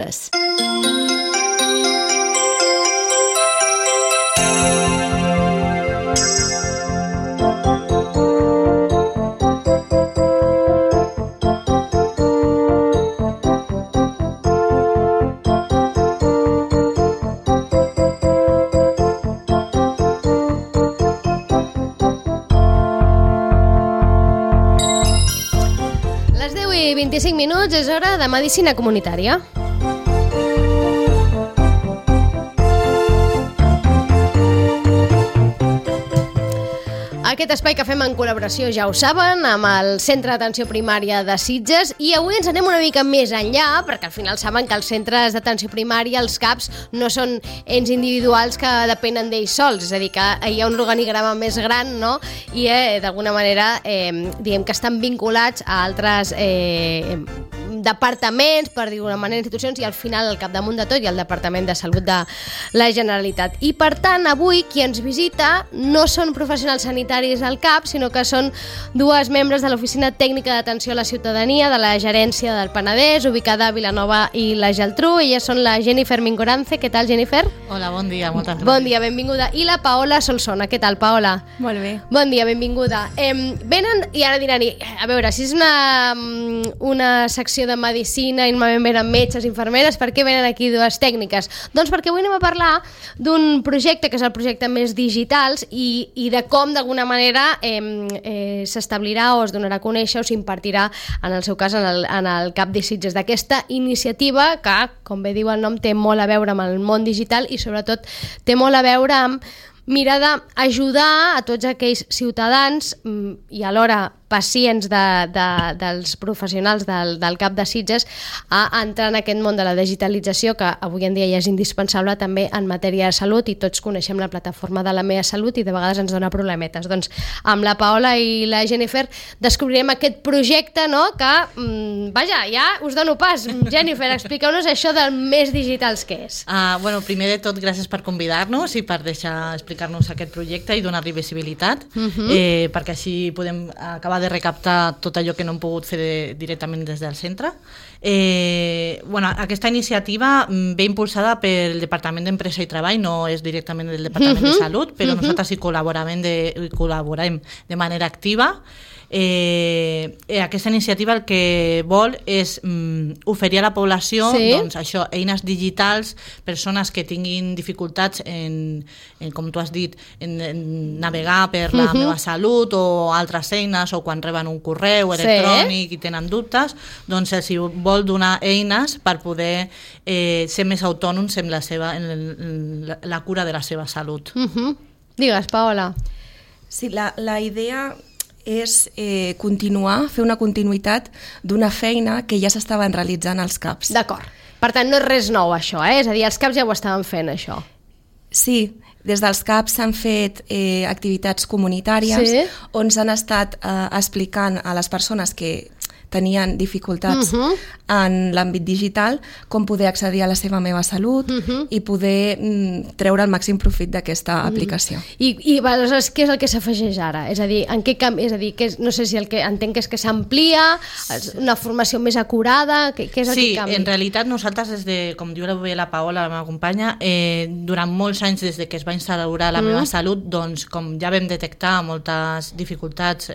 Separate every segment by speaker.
Speaker 1: Les 10:25 minuts és hora de medicina comunitària. Aquest espai que fem en col·laboració, ja ho saben, amb el Centre d'Atenció Primària de Sitges, i avui ens anem una mica més enllà, perquè al final saben que els centres d'atenció primària, els CAPs, no són ens individuals que depenen d'ells sols, és a dir, que hi ha un organigrama més gran, no? I d'alguna manera diem que estan vinculats a altres departaments, per dir d'una manera, institucions, i al final, al capdamunt de tot, hi ha el Departament de Salut de la Generalitat. I per tant, avui qui ens visita no són professionals sanitaris al CAP, sinó que són dues membres de l'Oficina Tècnica d'Atenció a la Ciutadania de la Gerència del Penedès, ubicada a Vilanova i la Geltrú. Elles són la Jennifer Mingorance. Què tal, Jennifer?
Speaker 2: Hola, bon dia, moltes gràcies.
Speaker 1: Bon dia, benvinguda. I la Paola Solsona. Què tal, Paola?
Speaker 3: Molt bé.
Speaker 1: Bon dia, benvinguda. Venen, i ara diran, a veure, si és una secció de medicina i normalment venen metges, infermeres, per què venen aquí dues tècniques? Doncs perquè avui anem a parlar d'un projecte que és el projecte Més Digitals i de com d'alguna manera s'establirà o es donarà a conèixer o s'impartirà, en el seu cas, en el CAP de Sitges, d'aquesta iniciativa que, com bé diu el nom, té molt a veure amb el món digital i sobretot té molt a veure amb mirar d'ajudar a tots aquells ciutadans i alhora pacients dels professionals del CAP de Sitges a entrar en aquest món de la digitalització que avui en dia ja és indispensable també en matèria de salut, i tots coneixem la plataforma de La Meva Salut i de vegades ens dona problemetes. Doncs amb la Paola i la Jennifer descobrirem aquest projecte, no? Que, vaja, ja us dono pas. Jennifer, expliqueu-nos això del Més Digitals, què és?
Speaker 2: Bueno, primer de tot, gràcies per convidar-nos i per deixar explicar-nos aquest projecte i donar-li visibilitat, perquè així podem acabar de recaptar tot allò que no hem pogut fer directament des del centre. Aquesta iniciativa ve impulsada pel Departament d'Empresa i Treball, no és directament del Departament de Salut, però nosaltres hi col·laborem de manera activa. Aquesta iniciativa el que vol és oferir a la població eines digitals, persones que tinguin dificultats en, com tu has dit, en navegar per la meva salut o altres eines, o quan reben un correu electrònic i tenen dubtes, doncs els vol donar eines per poder ser més autònoms en la cura de la seva salut.
Speaker 1: Digues, Paola.
Speaker 3: Sí, la idea és fer una continuïtat d'una feina que ja s'estaven realitzant als CAPs.
Speaker 1: D'acord. Per tant, no és res nou això, és a dir, els CAPs ja ho estaven fent, això.
Speaker 3: Sí, des dels CAPs s'han fet activitats comunitàries on s'han estat explicant a les persones que tenien dificultats en l'àmbit digital com poder accedir a la seva Meva Salut i poder treure el màxim profit d'aquesta aplicació.
Speaker 1: I aleshores, què és el que s'afegeix ara? És a dir, en què canvi? És a dir, no sé si el que entenc que és que s'amplia, una formació més acurada, què és el que canvia?
Speaker 2: Sí, en realitat nosaltres, com diu la Paola, la meva companya, durant molts anys des que es va instaurar la Meva Salut, doncs com ja vam detectar moltes dificultats,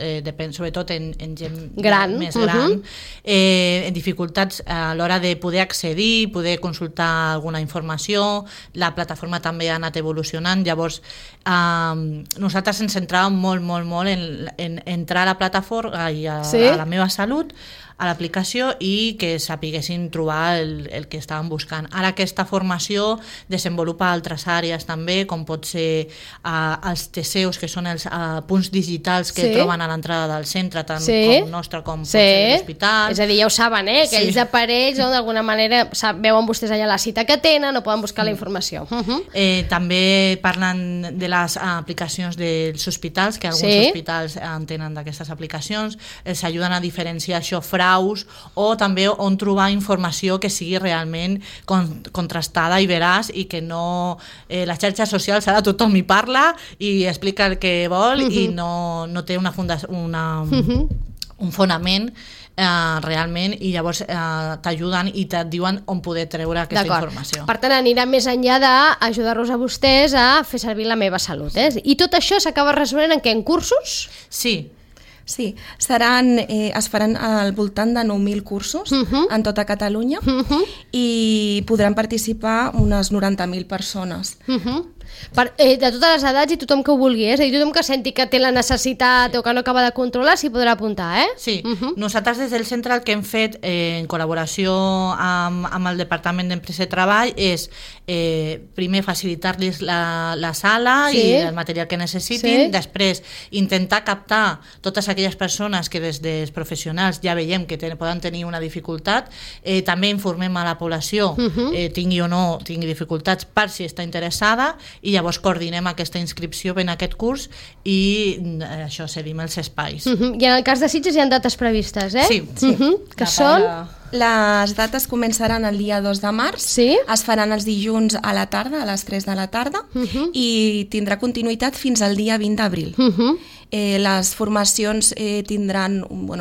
Speaker 2: sobretot en gent més gran, en dificultats a l'hora de poder accedir, poder consultar alguna informació. La plataforma també ha anat evolucionant, llavors nosaltres ens centràvem molt en entrar a la plataforma i a la Meva Salut, a l'aplicació, i que sapiguessin trobar el que estaven buscant. Ara aquesta formació desenvolupa altres àrees també, com pot ser els TCEUs, que són els punts digitals que troben a l'entrada del centre, tant com nostre com pot ser l'hospital.
Speaker 1: És a dir, ja ho saben, que ells aparells, d'alguna manera veuen vostès allà la cita que tenen o poden buscar la informació.
Speaker 2: També parlen de les aplicacions dels hospitals, que alguns hospitals en tenen d'aquestes aplicacions, els ajuden a diferenciar això, o també on trobar informació que sigui realment contrastada i veraç, i que no... Les xarxes socials ara tothom hi parla i explica el que vol i no té un fonament realment, i llavors t'ajuden i et diuen on poder treure aquesta informació.
Speaker 1: Per tant, anirà més enllà d'ajudar-los a vostès a fer servir la meva salut. I tot això s'acaba resolent en què? En cursos?
Speaker 2: Sí.
Speaker 3: Sí, es faran al voltant de 9.000 cursos en tota Catalunya i podran participar unes 90.000 persones.
Speaker 1: De totes les edats i tothom que ho vulgui, és a dir, tothom que senti que té la necessitat o que no acaba de controlar s'hi podrà apuntar,
Speaker 2: Sí, nosaltres des del centre el que hem fet en col·laboració amb el Departament d'Empresa i Treball és primer facilitar-los la sala i el material que necessitin, després intentar captar totes aquelles persones que des dels professionals ja veiem que poden tenir una dificultat, també informem a la població, tingui o no tingui dificultats, per si està interessada, i llavors coordinem aquesta inscripció en aquest curs i això, cedim els espais.
Speaker 1: I en el cas de Sitges hi ha dates previstes,
Speaker 2: Sí.
Speaker 1: Que són...
Speaker 3: Les dates començaran el dia 2 de març, es faran els dilluns a la tarda, a les 3 de la tarda, i tindrà continuïtat fins al dia 20 d'abril. Les formacions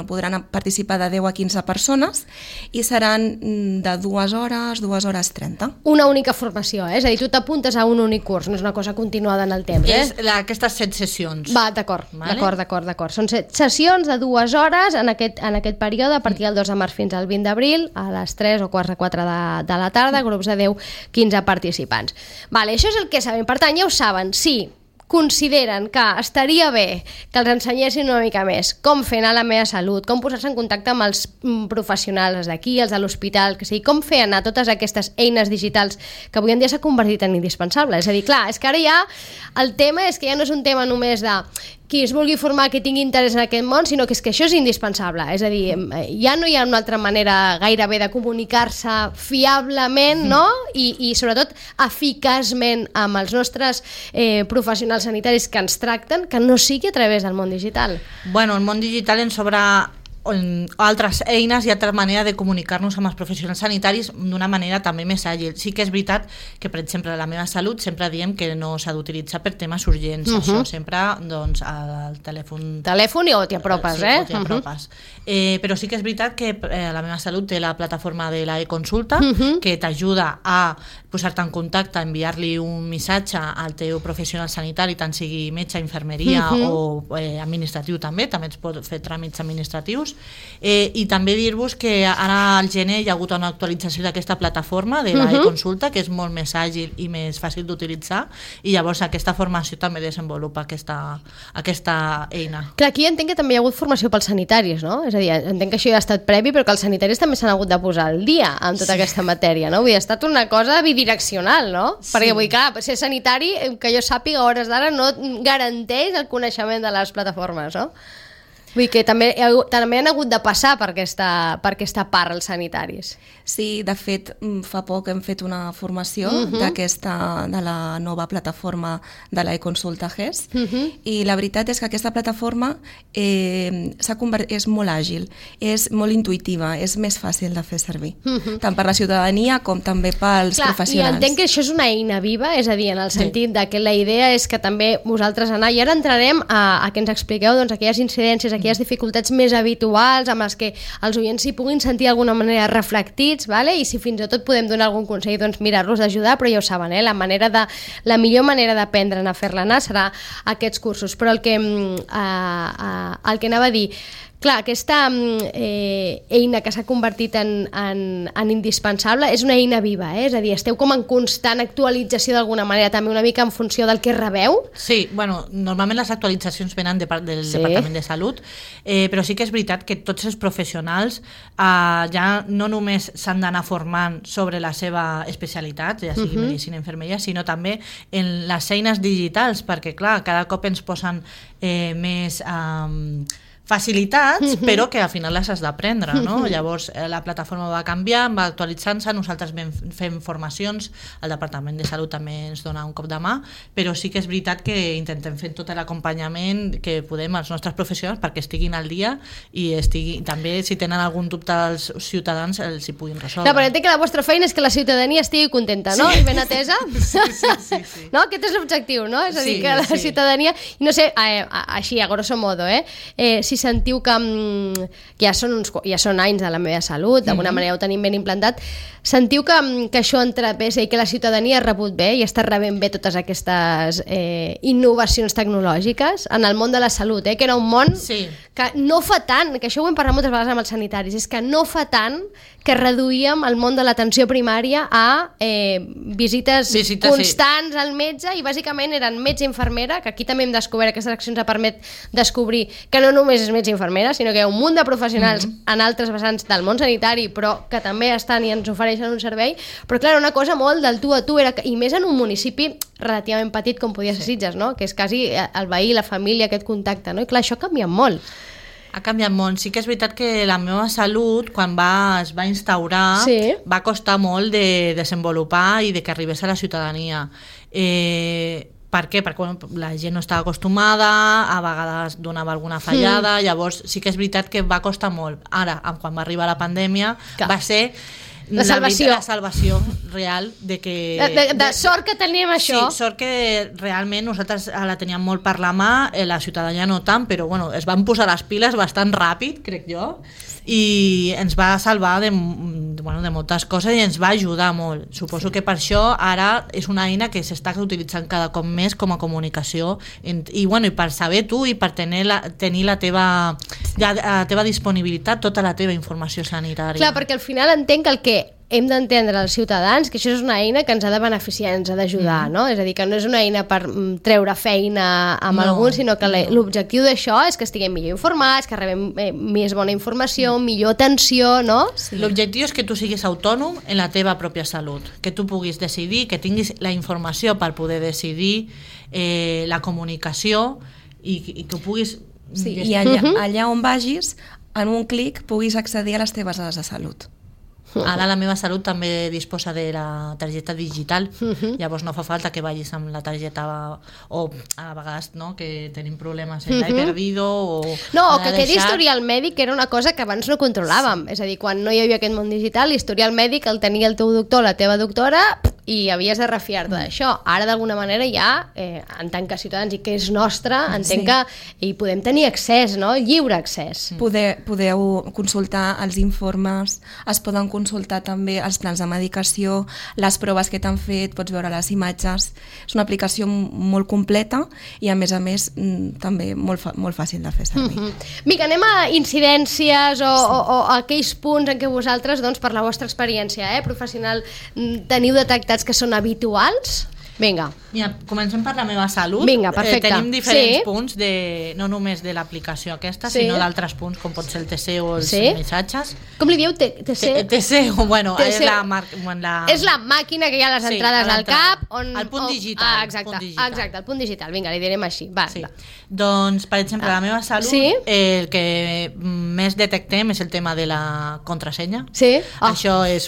Speaker 3: podran participar de 10 a 15 persones i seran de 2 hores, 2 hores 30.
Speaker 1: Una única formació, és a dir, tu t'apuntes a un únic curs, no és una cosa continuada en el temps.
Speaker 2: És aquestes 7 sessions.
Speaker 1: D'acord. Són 7 sessions de 2 hores en aquest període, a partir del 2 de març fins al 20 d'abril, a les 3 o quarts de 4 de la tarda, grups de 10-15 participants. Això és el que sabem. Per tant, ja ho saben, sí, consideren que estaria bé que els ensenyessin una mica més com fer anar la meva salut, com posar-se en contacte amb els professionals d'aquí, els de l'hospital, que sigui, com fer anar totes aquestes eines digitals que avui en dia s'ha convertit en indispensable. És a dir, clar, és que ara ja el tema és que ja no és un tema només de qui es vulgui formar, que tingui interès en aquest món, sinó que és que això és indispensable. És a dir, ja no hi ha una altra manera gairebé de comunicar-se fiablement, no? I sobretot eficaçment amb els nostres professionals sanitaris que ens tracten, que no sigui a través del món digital.
Speaker 2: Bueno, el món digital ens obre altres eines i altra manera de comunicar-nos amb els professionals sanitaris d'una manera també més àgil. Sí que és veritat que, per exemple, la meva salut sempre diem que no s'ha d'utilitzar per temes urgents, això sempre doncs al telèfon
Speaker 1: i o t'hi apropes,
Speaker 2: o t'hi apropes. Però sí que és veritat que la meva salut té la plataforma de la e-consulta que t'ajuda a posar-te en contacte, enviar-li un missatge al teu professional sanitari, tant sigui metge, infermeria o administratiu també ets pot fer tràmits administratius. I també dir-vos que ara al gener hi ha hagut una actualització d'aquesta plataforma de la e-consulta, que és molt més àgil i més fàcil d'utilitzar, i llavors aquesta formació també desenvolupa aquesta eina.
Speaker 1: Clar, aquí entenc que també hi ha hagut formació pels sanitaris, no? És a dir, entenc que això ja ha estat previ, però que els sanitaris també s'han hagut de posar al dia amb tota aquesta matèria, no? Vull dir, ha estat una cosa bidireccional, no? Perquè vull dir, clar, ser sanitari, que jo sàpiga a hores d'ara, no garanteix el coneixement de les plataformes, no? Vull dir que també han hagut de passar per aquesta part els sanitaris.
Speaker 3: Sí, de fet, fa poc hem fet una formació de la nova plataforma de la e-consulta GES, i la veritat és que aquesta plataforma és molt àgil, és molt intuïtiva, és més fàcil de fer servir, tant per la ciutadania com també pels professionals.
Speaker 1: I entenc que això és una eina viva, és a dir, en el sentit que la idea és que també vosaltres i ara entrarem a que ens expliqueu aquelles incidències, aquelles dificultats més habituals amb les que els oients s'hi puguin sentir d'alguna manera reflectits, i si fins i tot podem donar algun consell, doncs mirar-los d'ajudar, però ja ho saben, la millor manera d'aprendre a fer-la anar serà aquests cursos. Però el que anava a dir, clar, aquesta eina que s'ha convertit en indispensable és una eina viva, és a dir, esteu com en constant actualització d'alguna manera, també una mica en funció del que rebeu?
Speaker 2: Sí, bueno, normalment les actualitzacions venen del Departament de Salut, però sí que és veritat que tots els professionals ja no només s'han d'anar formant sobre la seva especialitat, ja sigui medicina i infermeria, sinó també en les eines digitals, perquè clar, cada cop ens posen més facilitats, però que al final les has d'aprendre, no? Llavors la plataforma va canviant, va actualitzant-se, nosaltres fem formacions, el Departament de Salut també ens dona un cop de mà, però sí que és veritat que intentem fer tot l'acompanyament que podem als nostres professionals perquè estiguin al dia i també si tenen algun dubte els ciutadans els hi puguin resoldre.
Speaker 1: Clar, però entenc que la vostra feina és que la ciutadania estigui contenta, no? I ben atesa.
Speaker 2: Sí.
Speaker 1: No? Aquest és l'objectiu, no? És a dir, que la ciutadania, no sé, així a grosso modo, si si sentiu que ja són anys de la meva salut, d'alguna manera ho tenim ben implantat, sentiu que això ha entrat bé, és a dir, que la ciutadania ha rebut bé i està rebent bé totes aquestes innovacions tecnològiques en el món de la salut, que era un món que no fa tant, que això ho hem parlat moltes vegades amb els sanitaris, és que no fa tant que reduïem el món de l'atenció primària a visites constants al metge, i bàsicament eren metge i infermera, que aquí també hem descobert, aquestes accions ha permet descobrir que no només és metge i infermera, sinó que hi ha un munt de professionals en altres vessants del món sanitari, però que també estan i ens ofereixen un servei, però clar, una cosa molt del tu a tu, i més en un municipi relativament petit com podia ser Sitges, no? Que és quasi el veí, la família, aquest contacte, no? I clar, això ha canviat molt.
Speaker 2: Ha canviat molt. Sí que és veritat que la meva salut, quan es va instaurar, va costar molt de desenvolupar i de que arribés a la ciutadania. Per què? Perquè la gent no estava acostumada, a vegades donava alguna fallada, llavors sí que és veritat que va costar molt. Ara, quan va arribar la pandèmia, va ser la salvació real de que...
Speaker 1: De sort que teníem això.
Speaker 2: Sí, sort que realment nosaltres la teníem molt per la mà, la ciutadania no tant, però bueno, es van posar les piles bastant ràpid, crec jo, i ens va salvar de moltes coses i ens va ajudar molt. Suposo que per això ara és una eina que s'està utilitzant cada cop més com a comunicació i per saber tu i per tenir la teva disponibilitat, tota la teva informació sanitària.
Speaker 1: Clar, perquè al final entenc que el que hem d'entendre els ciutadans que això és una eina que ens ha de beneficiar, ens ha d'ajudar, no? És a dir, que no és una eina per treure feina amb alguns, sinó que l'objectiu d'això és que estiguem millor informats, que rebem més bona informació, millor atenció, no?
Speaker 2: Sí. L'objectiu és que tu siguis autònom en la teva pròpia salut, que tu puguis decidir, que tinguis la informació per poder decidir, la comunicació i que puguis...
Speaker 3: Sí, i allà on vagis, en un clic puguis accedir a les teves dades de salut.
Speaker 2: Ara la meva salut també disposa de la targeta digital, llavors no fa falta que vagis amb la targeta o a vegades que tenim problemes en l'he perdido o
Speaker 1: que quedi historial mèdic, que era una cosa que abans no controlàvem, és a dir, quan no hi havia aquest món digital, l'historial mèdic el tenia el teu doctor, la teva doctora, i havies de refiar-te d'això. Ara d'alguna manera ja, en tant que ciutadans i que és nostre, entenc que hi podem tenir accés, no? Lliure accés.
Speaker 3: Podeu consultar els informes, es poden consultar també els plans de medicació, les proves que t'han fet, pots veure les imatges. És una aplicació molt completa i a més també molt fàcil de fer servir.
Speaker 1: Vinga, anem a incidències o aquells punts en què vosaltres, per la vostra experiència professional, teniu detectats que són habituals? Vinga.
Speaker 2: Mira, comencem per la meva salut.
Speaker 1: Vinga, perfecte.
Speaker 2: Tenim diferents punts, no només de l'aplicació aquesta, sinó d'altres punts, com pot ser el TC o els missatges.
Speaker 1: Com li dieu? TC?
Speaker 2: TC, bueno, és la...
Speaker 1: És la màquina que hi ha a les entrades al CAP.
Speaker 2: El punt digital.
Speaker 1: Exacte, el punt digital. Vinga, li direm així.
Speaker 2: Doncs, per exemple, la meva salut, el que més detectem és el tema de la contrasenya.
Speaker 1: Sí?
Speaker 2: Això és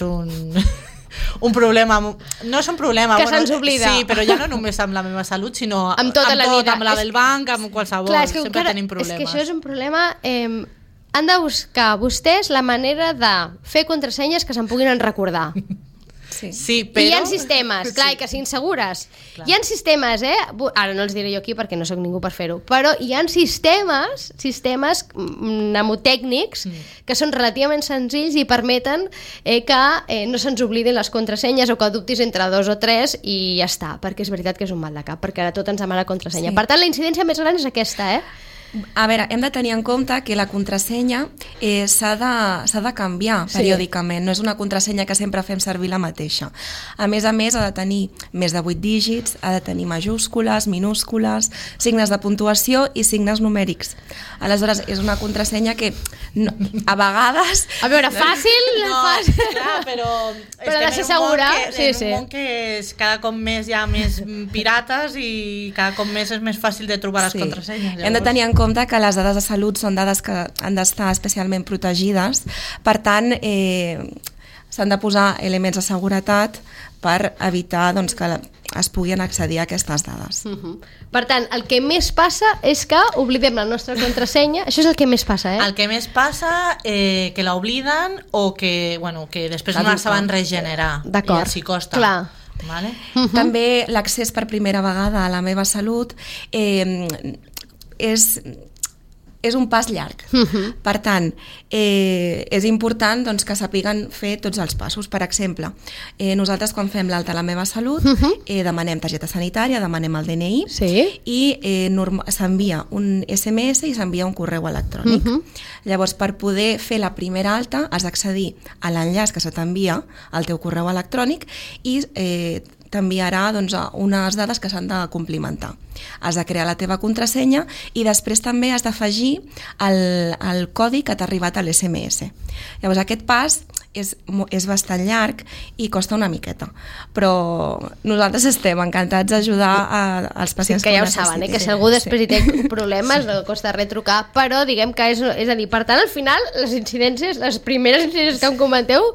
Speaker 2: un problema, no és un problema
Speaker 1: que se'ns oblida,
Speaker 2: sí, però ja no només amb la meva salut, sinó
Speaker 1: amb tota la vida,
Speaker 2: amb la del banc, amb qualsevol, sempre tenim problemes.
Speaker 1: És que això és un problema, han de buscar vostès la manera de fer contrasenyes que se'n puguin recordar.
Speaker 2: Sí, però...
Speaker 1: I hi ha sistemes, clar, que siguin segures. Hi ha sistemes, ara no els diré jo aquí perquè no sóc ningú per fer-ho, però hi ha sistemes mnemotècnics que són relativament senzills i permeten que no se'ns oblidin les contrasenyes o que dubtis entre 2 o 3 i ja està, perquè és veritat que és un mal de cap, perquè ara tot ens demana contrasenya. Per tant, la incidència més gran és aquesta,
Speaker 3: A veure, hem de tenir en compte que la contrasenya s'ha de canviar periòdicament, no és una contrasenya que sempre fem servir la mateixa. A més, ha de tenir més de 8 dígits, ha de tenir majúscules, minúscules, signes de puntuació i signes numèrics. Aleshores, és una contrasenya que a vegades...
Speaker 1: A veure, fàcil?
Speaker 2: No, clar, però
Speaker 1: ha de ser segura.
Speaker 2: En un món que cada cop més hi ha més pirates i cada cop més és més fàcil de trobar les contrasenyes.
Speaker 3: Hem de tenir en compte que les dades de salut són dades que han d'estar especialment protegides, per tant s'han de posar elements de seguretat per evitar que es puguin accedir a aquestes dades.
Speaker 1: Per tant, el que més passa és que oblidem la nostra contrasenya. Això és el que més passa,
Speaker 2: El que més passa, que l'obliden o que després no la saben regenerar.
Speaker 1: D'acord.
Speaker 2: I els hi costa.
Speaker 1: Clar.
Speaker 2: Vale?
Speaker 3: També l'accés per primera vegada a la meva salut és és un pas llarg. Per tant, és important doncs, que sapiguen fer tots els passos. Per exemple, nosaltres quan fem l'alta a la meva salut demanem targeta sanitària, demanem el DNI i s'envia un SMS i s'envia un correu electrònic. Llavors, per poder fer la primera alta has d'accedir a l'enllaç que se t'envia al teu correu electrònic i t'enviarà unes dades que s'han de complimentar. Has de crear la teva contrasenya i després també has d'afegir el codi que t'ha arribat a l'SMS. Llavors aquest pas és bastant llarg i costa una miqueta, però nosaltres estem encantats d'ajudar als pacients
Speaker 1: que ja ho saben, que si algú després hi té problemes no costa res trucar, però diguem que és a dir, per tant al final les incidències, les primeres incidències que em comenteu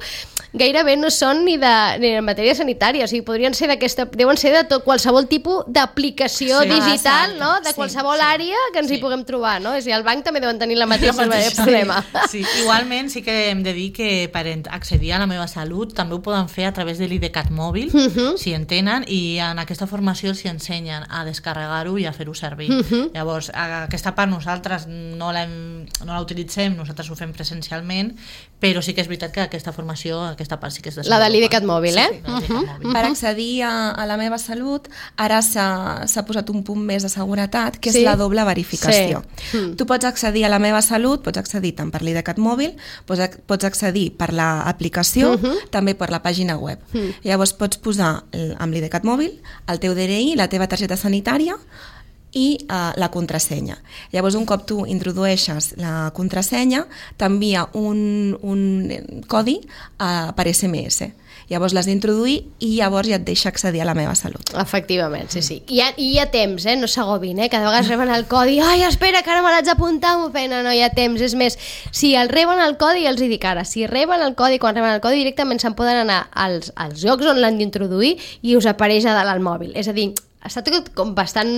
Speaker 1: gairebé no són ni de matèria sanitària, o sigui, podrien ser deuen ser de qualsevol tipus d'aplicació digital, no? De qualsevol àrea que ens hi puguem trobar, no? És a dir, el banc també deuen tenir la mateixa problema.
Speaker 2: Sí, igualment sí que hem de dir que per accedir a la meva salut també ho poden fer a través de l'IDCAT mòbil, si en tenen, i en aquesta formació els ensenyen a descarregar-ho i a fer-ho servir. Llavors, aquesta part nosaltres no la utilitzem, nosaltres ho fem presencialment, però sí que és veritat que aquesta formació, aquesta part sí que és desenvolupada.
Speaker 1: La de l'IDCAT mòbil,
Speaker 3: Per accedir a la meva salut, ara s'ha posat un punt més de seguretat, que és la doble verificació. Tu pots accedir a la meva salut, pots accedir tant per l'IDCAT mòbil, pots accedir per l'aplicació, també per la pàgina web. Llavors pots posar amb l'IDCAT mòbil el teu DNI, la teva targeta sanitària i la contrasenya. Llavors, un cop tu introdueixes la contrasenya, t'envia un codi per SMS. Llavors l'has d'introduir i llavors ja et deixa accedir a la meva salut.
Speaker 1: Efectivament, sí. I hi ha temps, no s'agobin, que de vegades reben el codi, ai, espera, que ara me l'haig d'apuntar, m'ho pena, no hi ha temps. És més, si el reben el codi, els hi dic ara, si reben el codi, quan reben el codi, directament se'n poden anar als llocs on l'han d'introduir i us apareix a dalt al mòbil. És a dir, està tot com bastant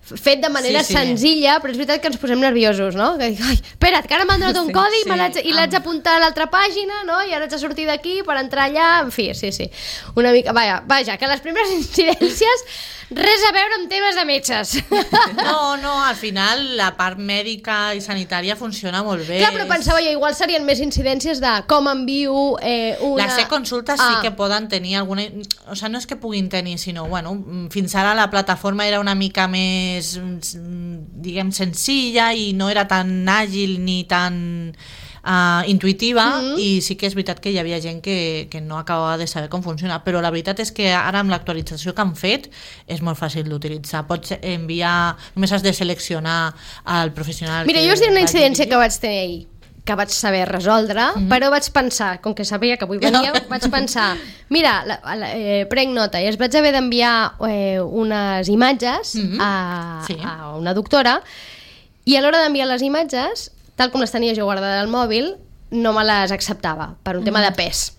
Speaker 1: fet de manera senzilla, però és veritat que ens posem nerviosos, no? Que dic, ai, espera't, que ara m'han donat un codi i l'haig d'apuntar a l'altra pàgina, no? I ara haig de sortir d'aquí per entrar allà, en fi, sí. Una mica, vaja, que les primeres incidències res a veure amb temes de metges.
Speaker 2: No, al final la part mèdica i sanitària funciona molt bé.
Speaker 1: Clar, però pensava jo, igual serien més incidències de com envio una...
Speaker 2: Les e-consultes sí que poden tenir alguna... O sigui, no és que puguin tenir, sinó, bueno, fins ara la plataforma era una mica més, diguem, senzilla i no era tan àgil ni tan intuïtiva, i sí que és veritat que hi havia gent que no acabava de saber com funciona, però la veritat és que ara amb l'actualització que han fet és molt fàcil d'utilitzar. Pots enviar, només has de seleccionar el professional.
Speaker 1: Mira, jo us diré una incidència que vaig tenir ahir, que vaig saber resoldre, però vaig pensar, com que sabia que avui veníeu, vaig pensar, mira, prenc nota, i es vaig haver d'enviar unes imatges a una doctora, i a l'hora d'enviar les imatges, tal com les tenia jo guardades al mòbil, no me les acceptava, per un tema de pes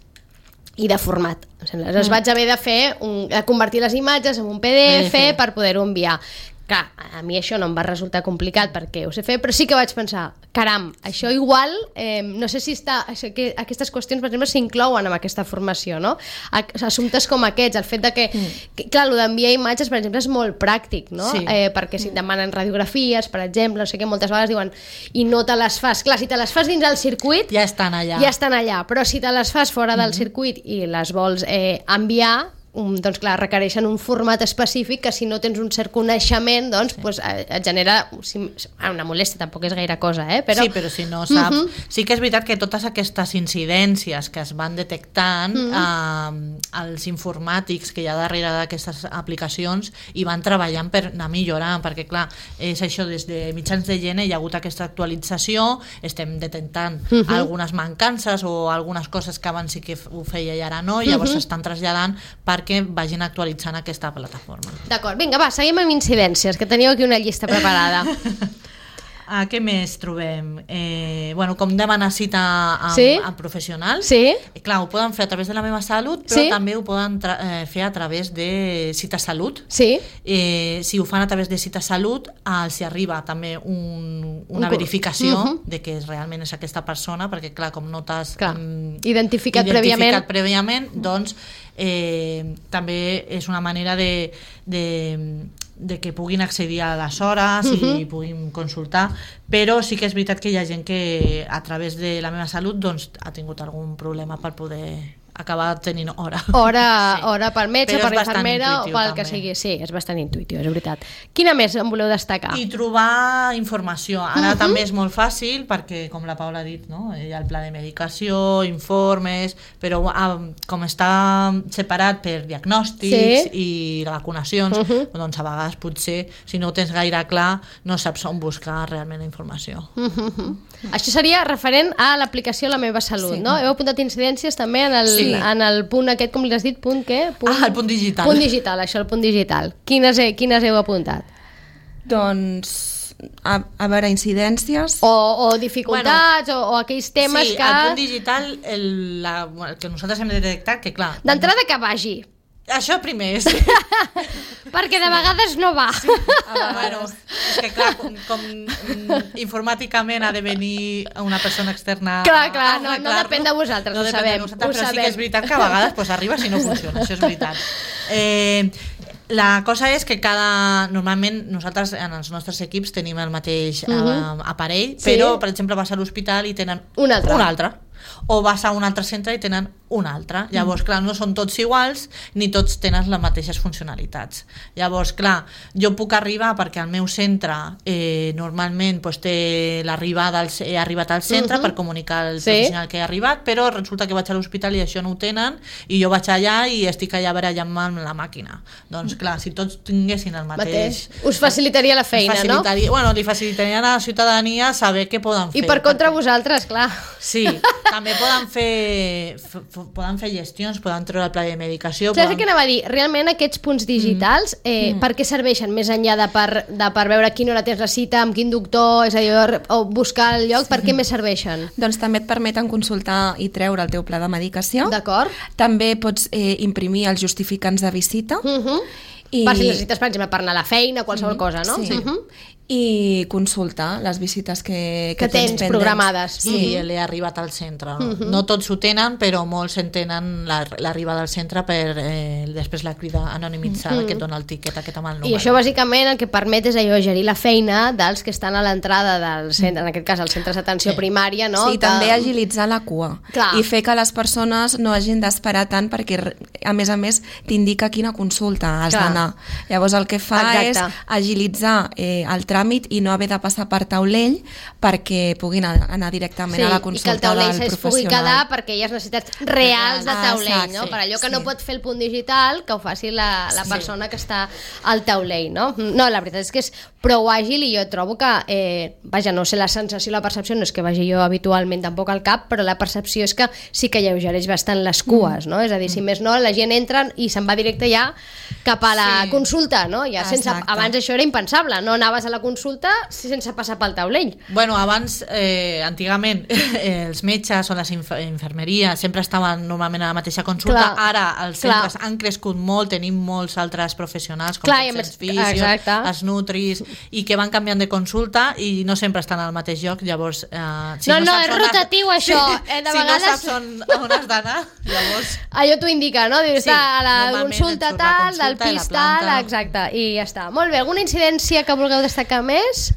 Speaker 1: i de format. Les vaig haver de convertir les imatges en un PDF per poder-ho enviar. Clar, a mi això no em va resultar complicat perquè ho sé fer, però sí que vaig pensar, caram, això igual, no sé si aquestes qüestions, per exemple, s'inclouen en aquesta formació, no? Assumptes com aquests, el fet de que clar, el d'enviar imatges, per exemple, és molt pràctic, no? Perquè si et demanen radiografies, per exemple, no sé què, moltes vegades diuen, i no te les fas. Clar, si te les fas dins el circuit,
Speaker 2: ja estan allà,
Speaker 1: però si te les fas fora del circuit i les vols enviar, doncs clar, requereixen un format específic que si no tens un cert coneixement doncs et genera una molèstia, tampoc és gaire cosa, però...
Speaker 2: Sí, però si no saps... Sí que és veritat que totes aquestes incidències que es van detectant, els informàtics que hi ha darrere d'aquestes aplicacions hi van treballant per anar millorant, perquè clar, és això, des de mitjans de gener hi ha hagut aquesta actualització, estem detectant algunes mancances o algunes coses que abans sí que ho feia i ara no, i llavors s'estan traslladant perquè vagin actualitzant aquesta plataforma.
Speaker 1: D'acord, vinga, va, seguim amb incidències, que teníeu aquí una llista preparada.
Speaker 2: Què més trobem? Com demanar cita amb professionals. Clar, ho poden fer a través de la meva salut, però també ho poden fer a través de Cita Salut. Si ho fan a través de Cita Salut, els arriba també una verificació de que realment és aquesta persona, perquè clar, com no t'has
Speaker 1: identificat prèviament,
Speaker 2: doncs també és una manera de de que puguin accedir a les hores i puguin consultar, però sí que és veritat que hi ha gent que a través de La meva salut doncs, ha tingut algun problema per poder acabar tenint hora.
Speaker 1: Hora pel metge,
Speaker 2: Però
Speaker 1: per l'infermera o pel que
Speaker 2: també.
Speaker 1: sigui. Sí, és bastant intuïtiu, és veritat. Quina més en voleu destacar?
Speaker 2: I trobar informació. Ara també és molt fàcil perquè, com la Paula ha dit, no? Hi ha el pla de medicació, informes, però com està separat per diagnòstics i vacunacions, doncs a vegades potser, si no ho tens gaire clar, no saps on buscar realment la informació.
Speaker 1: Això seria referent a l'aplicació La meva salut, no? Heu apuntat incidències també en el punt aquest, com li has dit, punt què?
Speaker 2: El punt digital.
Speaker 1: Punt digital, això, el punt digital. Quines heu apuntat?
Speaker 3: Doncs, a veure, incidències...
Speaker 1: O dificultats, o aquells temes que...
Speaker 2: Sí, el punt digital, el que nosaltres hem de detectar, que clar...
Speaker 1: D'entrada que vagi.
Speaker 2: Això primer, sí.
Speaker 1: Perquè de vegades no va.
Speaker 2: Sí. Bueno, és que clar, com informàticament ha de venir una persona externa
Speaker 1: clar, no depèn de vosaltres,
Speaker 2: no
Speaker 1: ho
Speaker 2: depèn
Speaker 1: sabem.
Speaker 2: de nosaltres, però sí que és veritat que a vegades pues, arriba si no funciona, això és veritat. La cosa és que normalment nosaltres en els nostres equips tenim el mateix aparell, però per exemple vas a l'hospital i tenen un altre. O vas a un altre centre i tenen un altre. Llavors, clar, no són tots iguals ni tots tenen les mateixes funcionalitats. Llavors, clar, jo puc arribar perquè al meu centre normalment pues, he arribat al centre per comunicar al professional que he arribat, però resulta que vaig a l'hospital i això no ho tenen i jo vaig allà i estic allà barallant-me amb la màquina. Doncs clar, si tots tinguessin el mateix...
Speaker 1: Us facilitaria la feina, no?
Speaker 2: Bueno, li facilitaria a la ciutadania saber què poden fer.
Speaker 1: I per contra vosaltres, clar.
Speaker 2: Sí, també poden fer gestions, poden treure el pla de medicació.
Speaker 1: Saps què anava a dir? Realment aquests punts digitals, per què serveixen? Més enllà de per veure a quina hora tens la cita, amb quin doctor, és a dir, o buscar el lloc, per què més serveixen?
Speaker 3: Doncs també et permeten consultar i treure el teu pla de medicació.
Speaker 1: D'acord.
Speaker 3: També pots imprimir els justificants de visita.
Speaker 1: Per si necessites, per exemple, per anar a la feina, qualsevol cosa, no?
Speaker 3: Sí. I consultar les visites que tens pendents.
Speaker 1: Programades.
Speaker 2: Sí, l'he arribat al centre. No tots ho tenen, però molts en tenen l'arribada al centre per després la crida anonimitzada que et dona el tiquet aquest amb el número.
Speaker 1: I això bàsicament el que permet és allò, gerir la feina dels que estan a l'entrada del centre, en aquest cas els centres d'atenció primària, no?
Speaker 3: Sí, també agilitzar la cua.
Speaker 1: Clar.
Speaker 3: I fer que les persones no hagin d'esperar tant perquè a més t'indica quina consulta has d'anar. Llavors el que fa és agilitzar el tràmit i no haver de passar per taulell perquè puguin anar directament a la consulta del professional.
Speaker 1: Sí, i que el taulell es pugui quedar perquè hi ha necessitats reals de taulell, no? Per allò que no pot fer el punt digital, que ho faci la persona que està al taulell, no? No, la veritat és que és prou àgil i jo trobo que, vaja, no sé la sensació, la percepció, no és que vagi jo habitualment tampoc al CAP, però la percepció és que sí que alleugereix bastant les cues, no? És a dir, si més no, la gent entra i se'n va directe ja cap a la consulta, no? Ja sense, abans això era impensable, no anaves a la consulta sense passar pel taulell.
Speaker 2: Bueno, abans, antigament, els metges o les infermeries sempre estaven normalment a la mateixa consulta. Ara els centres han crescut molt, tenim molts altres professionals com els fisios, els nutris, i que van canviant de consulta i no sempre estan al mateix lloc, llavors...
Speaker 1: Si no, és rotatiu això.
Speaker 2: Si no saps on has d'anar, llavors...
Speaker 1: Allò t'ho indica, no? Està a la consulta tal, del pis tal, exacte, i ja està. Molt bé, alguna incidència que vulgueu destacar més?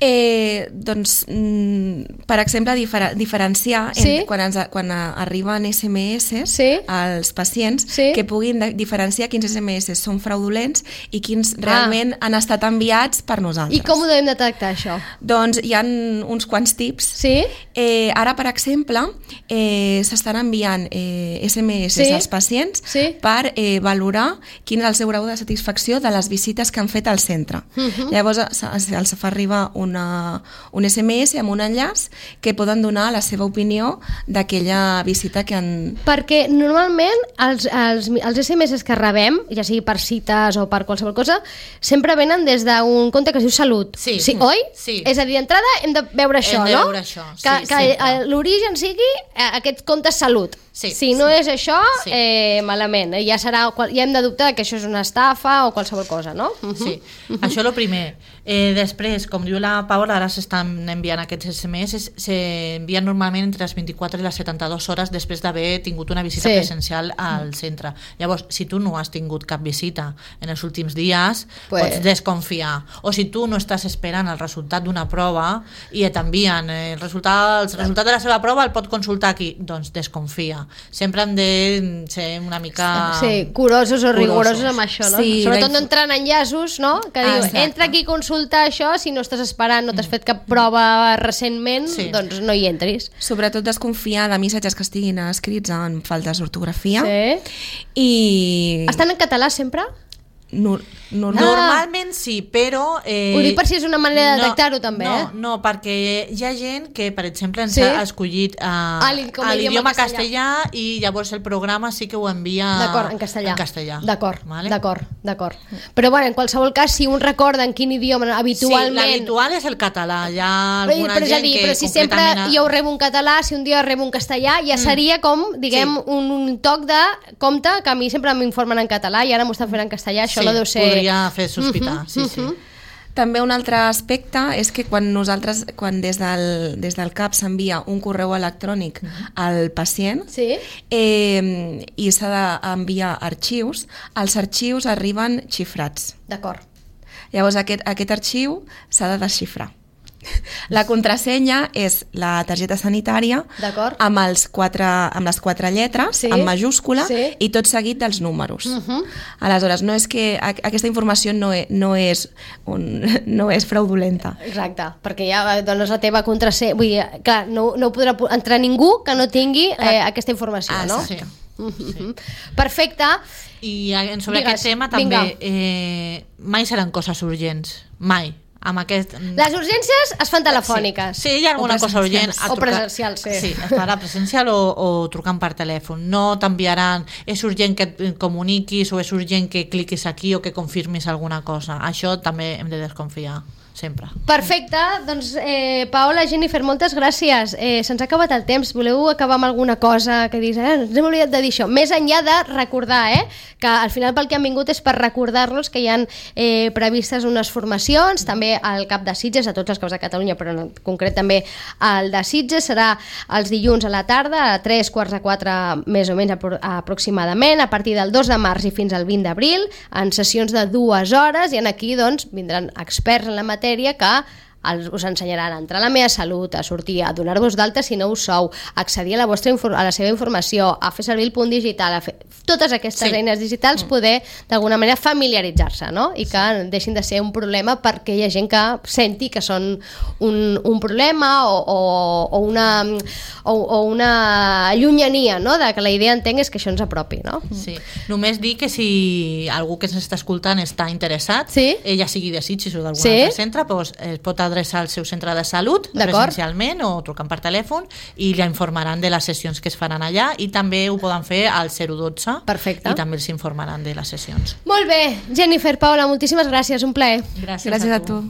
Speaker 3: Doncs, per exemple, diferenciar quan arriben SMS als pacients, que puguin diferenciar quins SMS són fraudulents i quins realment han estat enviats per nosaltres.
Speaker 1: I com ho devem detectar, això?
Speaker 3: Doncs hi ha uns quants tips.
Speaker 1: Sí?
Speaker 3: Ara, per exemple, s'estan enviant SMS als pacients per valorar quin és el seu grau de satisfacció de les visites que han fet al centre. Llavors els fa arribar un SMS amb un enllaç que poden donar la seva opinió d'aquella visita que han...
Speaker 1: Perquè normalment els SMS que rebem, ja sigui per cites o per qualsevol cosa, sempre venen des d'un compte que es diu Salut.
Speaker 2: Sí.
Speaker 1: Oi?
Speaker 2: Sí.
Speaker 1: És a dir, d'entrada hem de veure això, no?
Speaker 2: Hem de veure això, sí.
Speaker 1: Que l'origen sigui aquest compte Salut. Si no és això, malament. Ja hem de dubtar que això és una estafa o qualsevol cosa, no?
Speaker 2: Sí, això és el primer. Després, com diu la Paola, ara s'estan enviant aquests SMS, s'envien normalment entre les 24 i les 72 hores després d'haver tingut una una visita presencial al centre. Llavors, si tu no has tingut cap visita en els últims dies, pots desconfiar. O si tu no estàs esperant el resultat d'una prova i t'envien el resultat de la seva prova, el pot consultar aquí, doncs desconfia. Sempre hem de ser una mica...
Speaker 1: Sí, curosos o rigorosos amb això, no?
Speaker 3: Sí,
Speaker 1: sobretot no entrar en enllaços, no? Que diu, entra aquí a consultar això, si no estàs esperant, no t'has fet cap prova recentment, doncs no hi entris.
Speaker 3: Sobretot desconfiar de missatges que estiguin escrits en faltes d'ortografia. I...
Speaker 1: Estan en català sempre?
Speaker 2: Normalment sí, però...
Speaker 1: Ho dic per si és una manera de detectar-ho també,
Speaker 2: No, perquè hi ha gent que, per exemple, ens ha escollit l'idioma castellà i llavors el programa sí que ho envia
Speaker 1: en castellà. D'acord. Però bueno, en qualsevol cas, si un recorda en quin idioma habitualment...
Speaker 2: Sí, l'habitual és el català. Hi ha alguna gent que...
Speaker 1: Però si sempre jo rebo un català, si un dia rebo un castellà, ja seria com, diguem, un toc de compte que a mi sempre m'informen en català i ara m'ho estan fent en castellà, això no deu ser...
Speaker 2: podria fer sospitar, sí.
Speaker 3: També un altre aspecte és que quan des del CAP s'envia un correu electrònic al pacient i s'ha d'enviar arxius, els arxius arriben xifrats.
Speaker 1: D'acord.
Speaker 3: Llavors aquest arxiu s'ha de desxifrar. La contrasenya és la targeta sanitària amb les quatre lletres en majúscula i tot seguit dels números. Aleshores, no és que aquesta informació no és fraudulenta.
Speaker 1: Exacte, perquè ja dones la teva contrasenya, vull dir, clar, no podrà entrar ningú que no tingui aquesta informació, no?
Speaker 2: Sí.
Speaker 1: Perfecte.
Speaker 2: I sobre aquest tema també mai seran coses urgents, mai.
Speaker 1: Les urgències es fan telefòniques.
Speaker 2: Sí, hi ha alguna cosa urgent
Speaker 1: o presencials,
Speaker 2: sí, es farà presencial o trucant per telèfon. No t'enviaran, és urgent que et comuniquis o és urgent que cliquis aquí o que confirmis alguna cosa. Això també hem de desconfiar sempre.
Speaker 1: Perfecte, doncs Paola, Jennifer, moltes gràcies. Se'ns ha acabat el temps. Voleu acabar amb alguna cosa que diguis, ens hem oblidat de dir això? Més enllà de recordar que al final pel que han vingut és per recordar-los que hi ha previstes unes formacions, també al CAP de Sitges, a tots els CAPs de Catalunya, però en concret també al de Sitges, serà els dilluns a la tarda, a 3:45 més o menys aproximadament, a partir del 2 de març i fins al 20 d'abril, en sessions de 2 hores, i aquí doncs vindran experts en la matèria que us ensenyaran a entrar a la meva salut, a sortir, a donar-vos d'alta si no ho sou, a accedir a la seva informació, a fer servir el punt digital, a fer totes aquestes eines digitals, poder d'alguna manera familiaritzar-se, no? I que deixin de ser un problema perquè hi ha gent que senti que són un problema o una llunyania, no? De que la idea entenc és que això ens apropi, no?
Speaker 2: Sí, només dir que si algú que s'està escoltant està interessat, ja sigui de Sitges o d'algun altre centre, doncs es pot adreçar al seu centre de salut presencialment o trucant per telèfon i li informaran de les sessions que es faran allà i també ho poden fer al 012.
Speaker 1: Perfecte.
Speaker 2: I també els informaran de les sessions.
Speaker 1: Molt bé, Jennifer, Paola, moltíssimes gràcies, un plaer.
Speaker 3: Gràcies a tu.